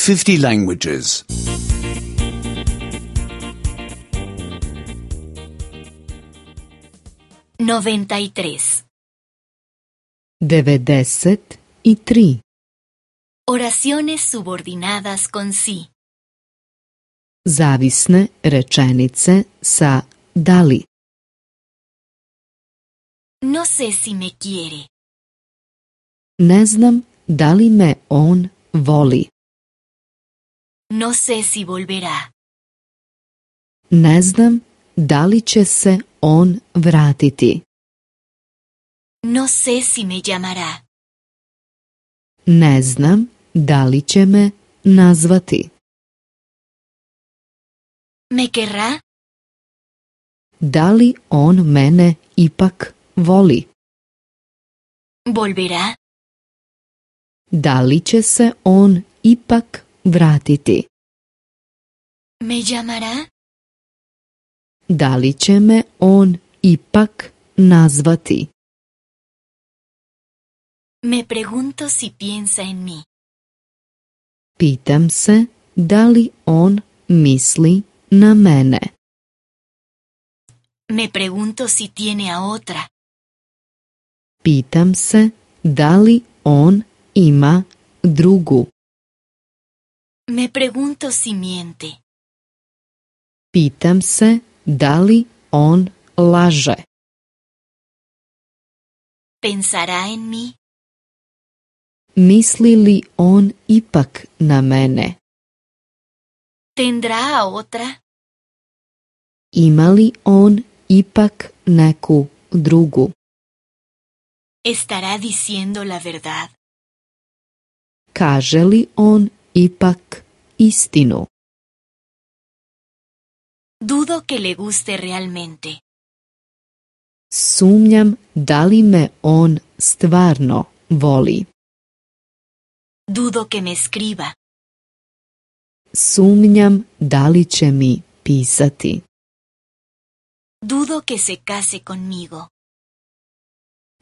50 languages. 93. 93. Oraciones subordinadas con sí. Zavisne rečenice sa da li. No sé si me quiere. Ne znam da li me on voli. No sé si volverá. Ne znam da li će se on vratiti. No sé si me llamará. Ne znam da li će me nazvati. ¿Me querrá? Da li on mene ipak voli? ¿Volverá? Da li će se on ipak vratiti? ¿Me llamará? Da li će me on ipak nazvati? Me pregunto si piensa en mí. Pitam se da li on misli na mene. Me pregunto si tiene a otra. Pitam se da li on ima drugu. Me pregunto si miente. Pitam se da li on laže. ¿Pensará en mí? Misli li on ipak na mene? ¿Tendrá a otra? Ima li on ipak neku drugu? ¿Estará diciendo la verdad? Kaže li on ipak istinu? Dudo que le guste realmente. Sumnjam da li me on stvarno voli. Dudo que me escriba. Sumnjam da li će mi pisati. Dudo que se case conmigo.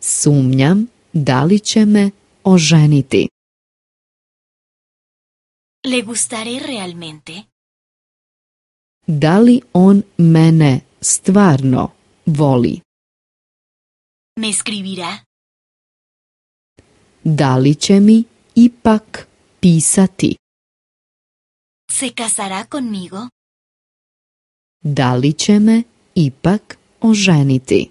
Sumnjam da li će me oženiti. ¿Le gustaré realmente? Da li on mene stvarno voli? ¿Me escribirá? Da li će mi ipak pisati? ¿Se casará conmigo? Da li će me ipak oženiti?